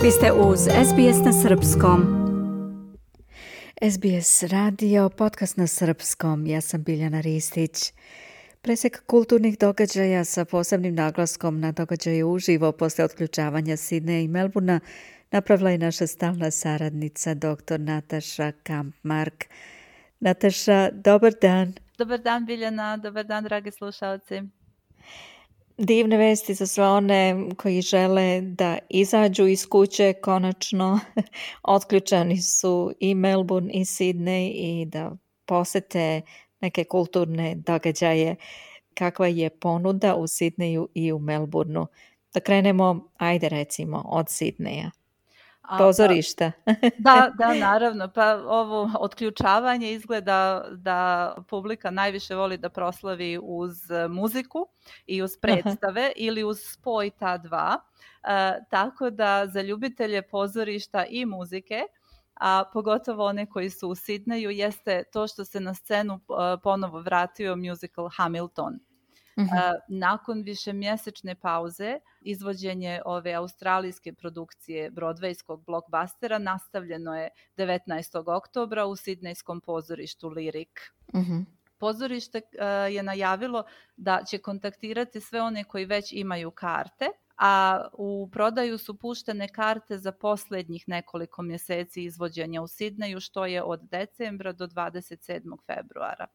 Vi ste uz SBS na srpskom. SBS radio, podcast na srpskom. Ja sam Biljana Ristić. Presek kulturnih događaja sa posebnim naglaskom na događaje uživo posle otključavanja Sidneja i Melbournea napravila je naša stalna saradnica dr. Nataša Kampmark. Nataša, dobar dan. Dobar dan Biljana, dobar dan dragi slušalci. Divne vesti za sve one koji žele da izađu iz kuće konačno. Otključani su i Melbourne i Sydney i da posete neke kulturne događaje. Kakva je ponuda u Sydneyu i u Melbourneu? Da krenemo, ajde recimo, od Sydneya. Pozorišta. Da, naravno. Pa ovo otključavanje izgleda da publika najviše voli da proslavi uz muziku i uz predstave ili uz spoj ta dva. Tako da za ljubitelje pozorišta i muzike, a pogotovo one koji su u Sydneyu, jeste to što se na scenu ponovo vratio musical Hamilton. Nakon višemjesečne pauze izvođenje ove australijske produkcije broadwayskog blockbustera nastavljeno je 19. oktobra u sidnejskom pozorištu Lyric. Pozorište je najavilo da će kontaktirati sve one koji već imaju karte, a u prodaju su puštene karte za posljednjih nekoliko mjeseci izvođenja u Sidneju, što je od decembra do 27. februara.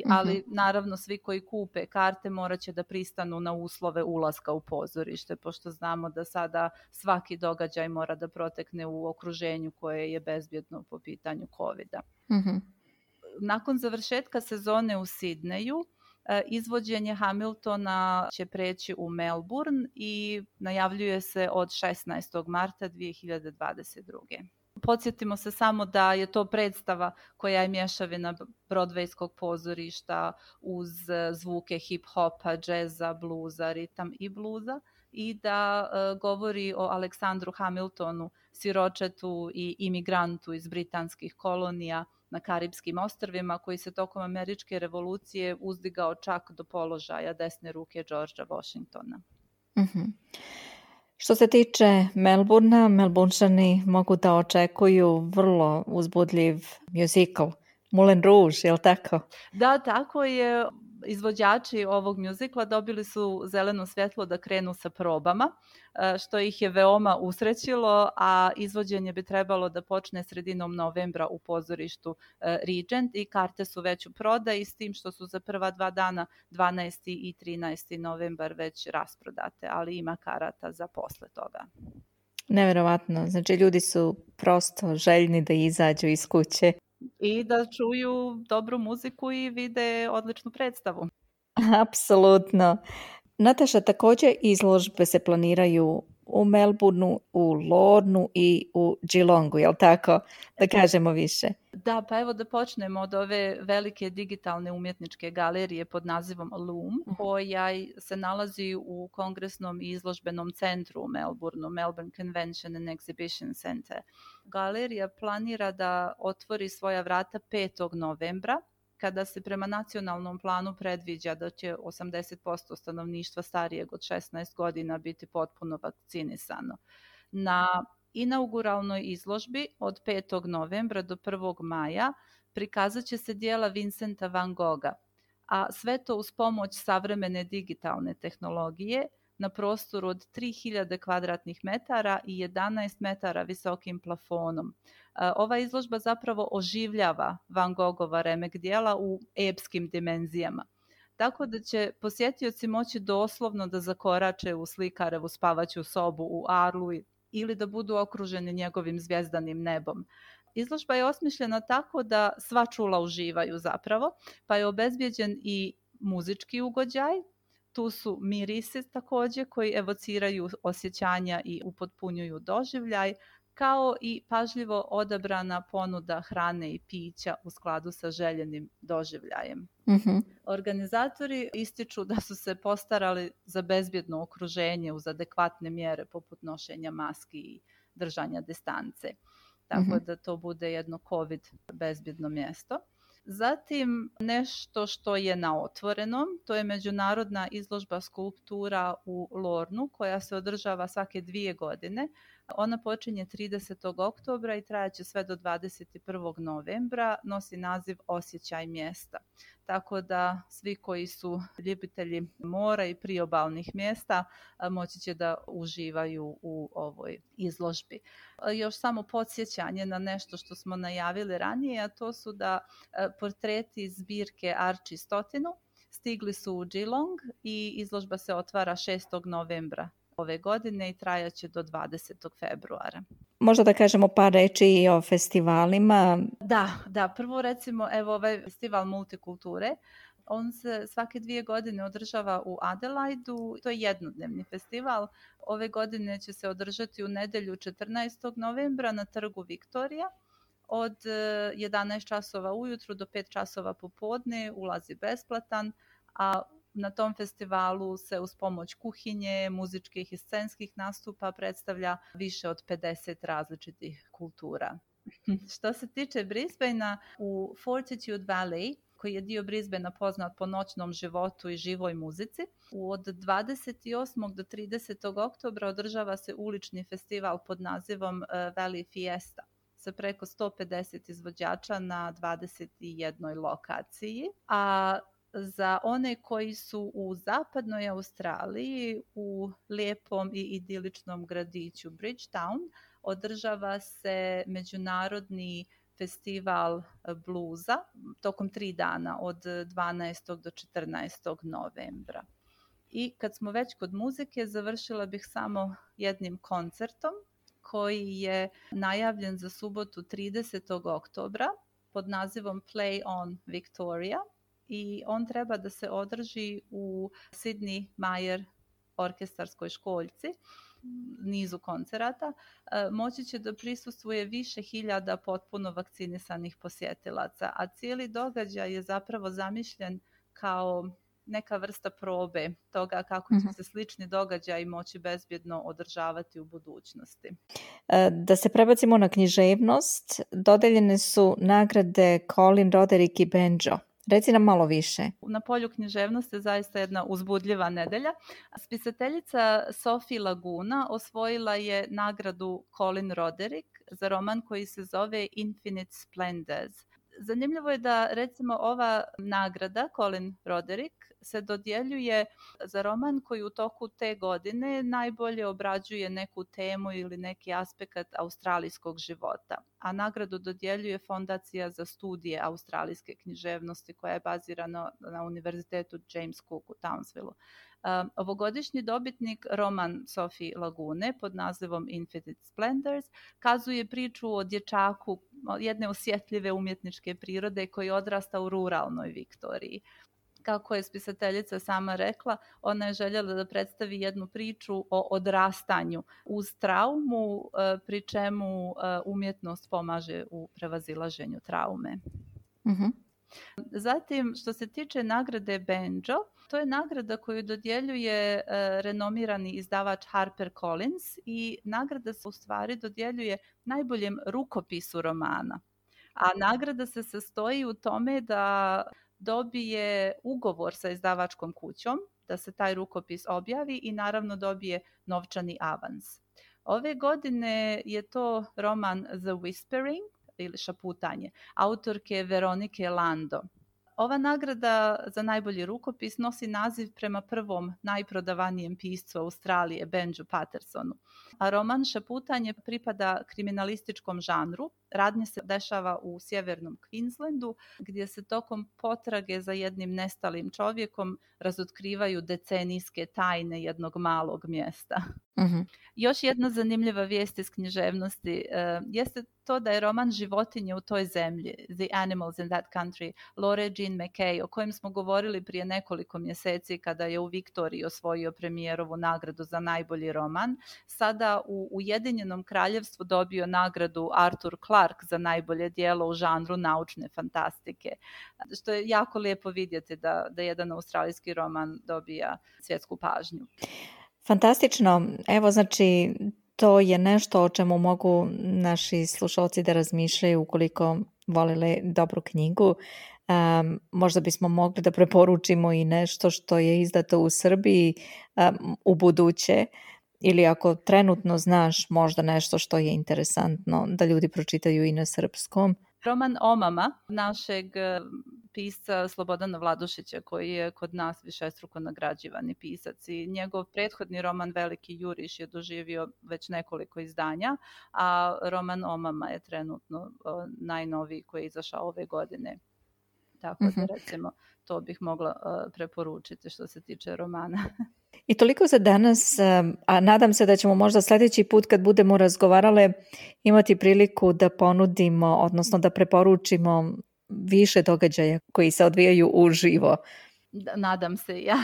Ali naravno svi koji kupe karte morat će da pristanu na uslove ulaska u pozorište, pošto znamo da sada svaki događaj mora da protekne u okruženju koje je bezbjedno po pitanju COVID-a. Nakon završetka sezone u Sidneju, izvođenje Hamiltona će preći u Melbourne i najavljuje se od 16. marta 2022. Podsjetimo se samo da je to predstava koja je mješavina broadwayskog pozorišta uz zvuke hip-hopa, džeza, bluza, ritam i bluza i da govori o Aleksandru Hamiltonu, siročetu i imigrantu iz britanskih kolonija na Karipskim ostrvima koji se tokom američke revolucije uzdigao čak do položaja desne ruke Georgea Washingtona. Što se tiče Melbournea, Melbournešani mogu da očekuju vrlo uzbudljiv musical, Moulin Rouge, je li tako? Da, tako je. Izvođači ovog mjuzikla dobili su zeleno svjetlo da krenu sa probama, što ih je veoma usrećilo, a izvođenje bi trebalo da počne sredinom novembra u pozorištu Regent i karte su već u prodaji, s tim što su za prva 2 dana, 12. i 13. novembar, već rasprodate, ali ima karata za posle toga. Neverovatno, znači ljudi su prosto željni da izađu iz kuće. I da čuju dobru muziku i vide odličnu predstavu. Apsolutno. Nataša, također izložbe se planiraju u Melbourneu, u Lornu i u Geelongu, je li tako? Da kažemo više. Da, pa evo da počnemo od ove velike digitalne umjetničke galerije pod nazivom Loom, koja se nalazi u Kongresnom i izložbenom centru u Melbourneu, Melbourne Convention and Exhibition Center. Galerija planira da otvori svoja vrata 5. novembra, kada se prema nacionalnom planu predviđa da će 80% stanovništva starijeg od 16 godina biti potpuno vakcinisano. Na inauguralnoj izložbi od 5. novembra do 1. maja prikazat će se dijela Vincenta van Gogha, a sve to uz pomoć savremene digitalne tehnologije na prostoru od 3000 kvadratnih metara i 11 metara visokim plafonom. Ova izložba zapravo oživljava Van Goghova remek dijela u epskim dimenzijama. Tako da će posjetioci moći doslovno da zakorače u slikarevu spavaću sobu u Arlu ili da budu okruženi njegovim zvjezdanim nebom. Izložba je osmišljena tako da sva čula uživaju zapravo, pa je obezbijeđen i muzički ugođaj. Tu su mirisi također koji evociraju osjećanja i upotpunjuju doživljaj, kao i pažljivo odabrana ponuda hrane i pića u skladu sa željenim doživljajem. Organizatori ističu da su se postarali za bezbjedno okruženje uz adekvatne mjere poput nošenja maski i držanja distance. Tako da to bude jedno COVID bezbjedno mjesto. Zatim nešto što je na otvorenom, to je međunarodna izložba skulptura u Lornu koja se održava svake 2 godine Ona počinje 30. oktobra i trajaće sve do 21. novembra, nosi naziv Osjećaj mjesta. Tako da svi koji su ljubitelji mora i priobalnih mjesta moći će da uživaju u ovoj izložbi. Još samo podsjećanje na nešto što smo najavili ranije, a to su da portreti iz zbirke Archie Stotinu stigli su u Geelong i izložba se otvara 6. novembra ove godine i trajaće do 20. februara. Možda da kažemo par reči i o festivalima. Da, prvo recimo evo ovaj festival multikulture. On se svake 2 godine održava u Adelaidu. To je jednodnevni festival. Ove godine će se održati u nedjelju 14. novembra na trgu Viktorija. Od 11 časova ujutru do 5 časova popodne, ulaz je besplatan, a na tom festivalu se uz pomoć kuhinje, muzičkih i scenskih nastupa predstavlja više od 50 različitih kultura. Što se tiče Brisbanea, u Fortitude Valley, koji je dio Brisbanea poznat po noćnom životu i živoj muzici, od 28. do 30. oktobra održava se ulični festival pod nazivom Valley Fiesta sa preko 150 izvođača na 21 lokaciji, a za one koji su u zapadnoj Australiji, u lijepom i idiličnom gradiću Bridgetown, održava se međunarodni festival bluza tokom 3 dana od 12. do 14. novembra. I kad smo već kod muzike, završila bih samo jednim koncertom koji je najavljen za subotu 30. oktobra pod nazivom Play on Victoria. I on treba da se održi u Sydney Mayer orkestarskoj školjci, nizu koncerata. Moći će da prisustvuje više hiljada potpuno vakcinisanih posjetilaca, a cijeli događaj je zapravo zamišljen kao neka vrsta probe toga kako će se slični događaji moći bezbjedno održavati u budućnosti. Da se prebacimo na književnost, dodeljene su nagrade Colin Roderick i Banjo. Reci nam malo više. Na polju književnosti je zaista jedna uzbudljiva nedelja. Spisateljica Sophie Laguna osvojila je nagradu Colin Roderick za roman koji se zove Infinite Splendors. Zanimljivo je da recimo ova nagrada Colin Roderick se dodjeljuje za roman koji u toku te godine najbolje obrađuje neku temu ili neki aspekt australijskog života. A nagradu dodjeljuje Fondacija za studije australijske književnosti koja je bazirana na Univerzitetu James Cook u Townsvilleu. Ovogodišnji dobitnik, roman Sophie Lagune pod nazivom Infinite Splendors, kazuje priču o dječaku jedne osjetljive umjetničke prirode koji odrasta u ruralnoj Viktoriji. Kako je spisateljica sama rekla, ona je željela da predstavi jednu priču o odrastanju uz traumu, pri čemu umjetnost pomaže u prevazilaženju traume. Zatim, što se tiče nagrade Banjo, to je nagrada koju dodjeljuje renomirani izdavač HarperCollins i nagrada se u stvari dodjeljuje najboljem rukopisu romana. A nagrada se sastoji u tome da dobije ugovor sa izdavačkom kućom, da se taj rukopis objavi i naravno dobije novčani avans. Ove godine je to roman The Whispering ili Šaputanje, autorke Veronike Lando. Ova nagrada za najbolji rukopis nosi naziv prema prvom najprodavanijem piscu Australije, Benju Pattersonu. A roman Šaputanje pripada kriminalističkom žanru. Radnje se dešava u sjevernom Queenslandu, gdje se tokom potrage za jednim nestalim čovjekom razotkrivaju decenijske tajne jednog malog mjesta. Još jedna zanimljiva vijest iz književnosti jeste to da je roman Životinje u toj zemlji, The Animals in That Country, Laura Jean McKay, o kojem smo govorili prije nekoliko mjeseci kada je u Viktoriji osvojio premijerovu nagradu za najbolji roman, sada u Ujedinjenom Kraljevstvu dobio nagradu Arthur Clarke za najbolje djelo u žanru naučne fantastike. Što je jako lijepo vidjeti da jedan australijski roman dobija svjetsku pažnju. Fantastično. Evo, znači, to je nešto o čemu mogu naši slušalci da razmišljaju ukoliko volele dobru knjigu. Možda bismo mogli da preporučimo i nešto što je izdato u Srbiji u buduće. ili ako trenutno znaš možda nešto što je interesantno da ljudi pročitaju i na srpskom. Roman Omama našeg pisca Slobodana Vladušića, koji je kod nas višestruko nagrađivani pisac, i njegov prethodni roman Veliki juriš je doživio već nekoliko izdanja, a roman Omama je trenutno najnoviji koji je izašao ove godine. Tako da recimo to bih mogla preporučiti što se tiče romana. I toliko za danas, a nadam se da ćemo možda sljedeći put kad budemo razgovarale imati priliku da ponudimo, odnosno da preporučimo više događaja koji se odvijaju uživo. Nadam se ja.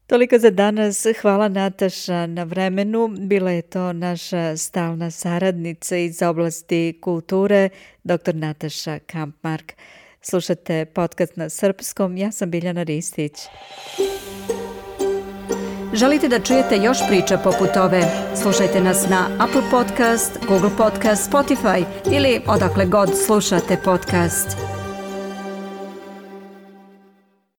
Toliko za danas. Hvala Nataša na vremenu. Bila je to naša stalna saradnica iz oblasti kulture, dr. Nataša Kampmark. Slušate podcast na srpskom. Ja sam Biljana Ristić. Želite da čujete još priča poput ove? Slušajte nas na Apple Podcast, Google Podcast, Spotify ili odakle god slušate podcast.